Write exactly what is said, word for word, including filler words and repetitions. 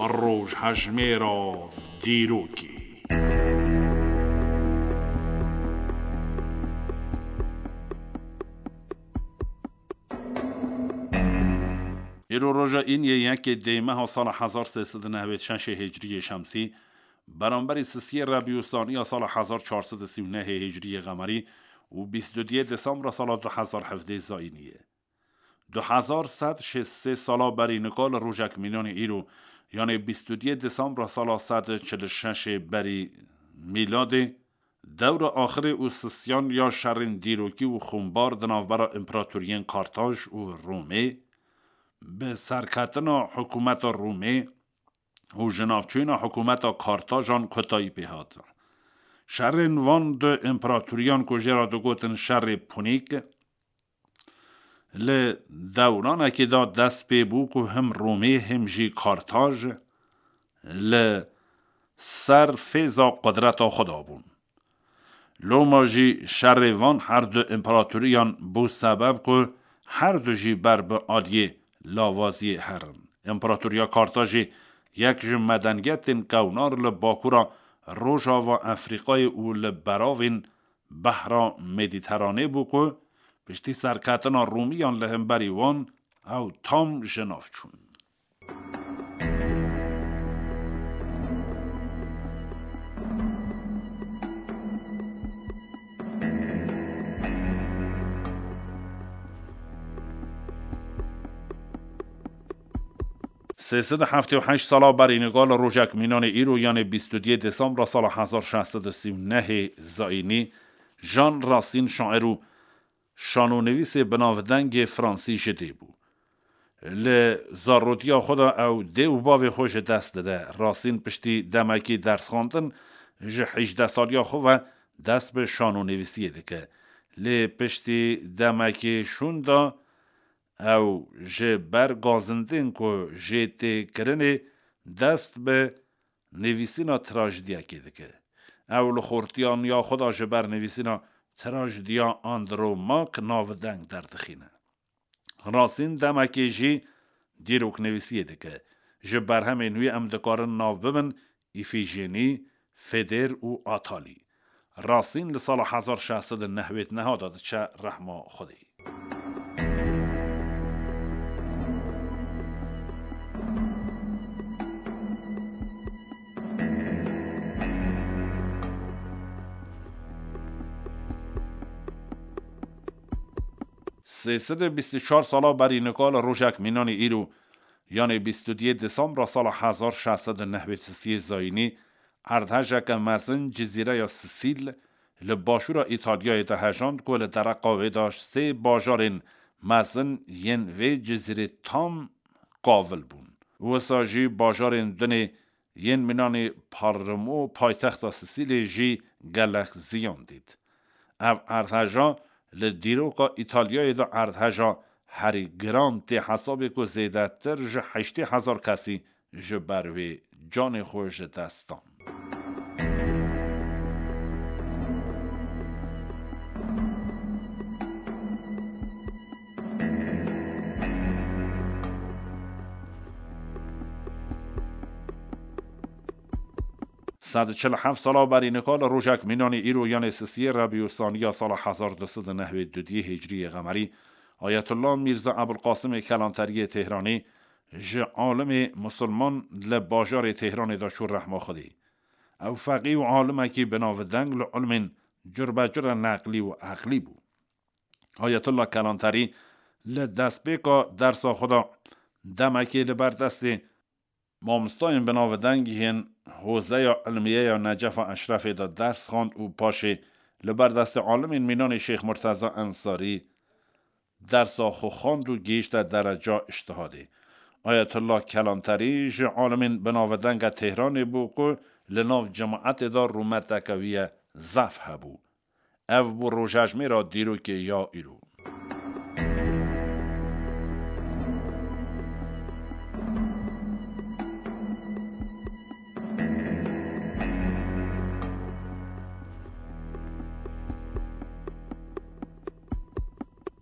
Rojhejmêra dîrokê. Îro roja îniyê yekê dê meha sala hezar sê sed û nehwêd şeşê hicriyê şemsî, beramberî sisiyê rebî û saniya sala hezar çar sed û sî û nehê hicriyê qemerî û bîst û duyê desembra sala du hezar hevdê zayînî ye. Du hezar sed şêst sê sala berî nika li rojek mînanê îro, yanê bîst û duyê desembra sala sed û çil û şeşê berî mîladê, dewra axirê û sisiyan ya şerên dîrokî û xûnbar di navbera împeratoriyên Kartaj û Romê, bi serketina hikûmeta Romê û jinavçûyîna hikûmeta Kartajan kotayî pê hat. Şerên van du împeratoriyan ku jê re digotin şerê Punîk, li dewranekê de dest pê bû ku him Romê him jî Kartaj li ser fêza qudreta xwe de bûn. Loma jî şerê van her du împeratoriyan bû sebeb ku her du jî ber bi aliyê lawaziyê herin. Împeratoriya Kartajê yek ji medeniyetên kewnar li bakura Rojava Efrîqayê û li beravên Behra Medîteranê bû ku piştî serketina Rûmiyan li hemberî wan ew tam ji nav çûn. Sê sed û heftê û heşt sala berî nika li rojek mînanê îro, yanê bîst û duyê desembra sala hezar şeş sed û sî û nehê zayînî, Jean Racine şair û şanonivîsê binavdengê fransî ji dê bû. Li zarotiya xwe de ew dê û bavê xwe ji dest dide. Racine piştî demekî dersxwendin ji hejdeh saliya xwe ve dest bi şanonivîsiyê dike. Lê piştî demekî şûnda ew ji ber gazindên ku jê tê kirinê dest bi nivîsîna trajdiyekê dike. Ew li xortiyaniya xwe de ji ber nivîsîna trajdiya Andromak navdeng derdixîne. Racine demekê jî dîroknivîsiyê dike. Ji berhemên wî em dikarin nav bibin Îfîjenî, Fedêr û Atalî. Racine li sala hezar şeş sed û nehwêd neha de diçe rehma Xwedê. Sê sed û bîst û çar sala berî nika li rojek mînanê îro, yanê bîst û duyê desembra sala hezar şeş sed û nehwêd û sê zayînî, erdhejeke mezin Cizîreya Sisîl li başûra Îtalyayê de hejand ku li dereqa wê de sê bajarên mezin yên vê cizîrê tam qavil bûn. Wisa jî bajarên dinê yên mînanê Palermo, paytexta Sisîlê jî gelek ziyan dît. Ev erdheja li dîroka Îtalyayê de erdheja herî giran tê hesabê ku zêdetir ji heştê hezar kesî ji ber wê canê xwe ji dest dan. Sed û çil û heft sala berî nika li rojek mînanê îro, yanê sisiyê Rebî û Saniya sala hezar du sed û nehwêd û duyê Hicriyê Qemerî, Ayetullah Mîrza Ebulqasimê Kelanteriyê Tehranî ji alimê musulman li bajarê Tehranê de çû rehma Xwedê. Ew feqî û alimekî binavdeng li ilmên curbecure neqlî û eqlî bû. Ayetullah Kelanterî li destpêka dersa xwe de demekê li ber destê mamostayên binavdeng yên Hozeya Ilmiye ya Necefa Eşrefê de ders xwend û paşê li ber destê alimên mînanê Şêx Murteza Ensarî dersa xwe xwend û gihîşte dereca îştihadê. Ayetullah Kelanterî ji alimên binavdenge Tehranê bû ku li nav cemaetê de rûmeteke wî ye zaf hebû. Ev bû rojejmêra dîrokê ya îro.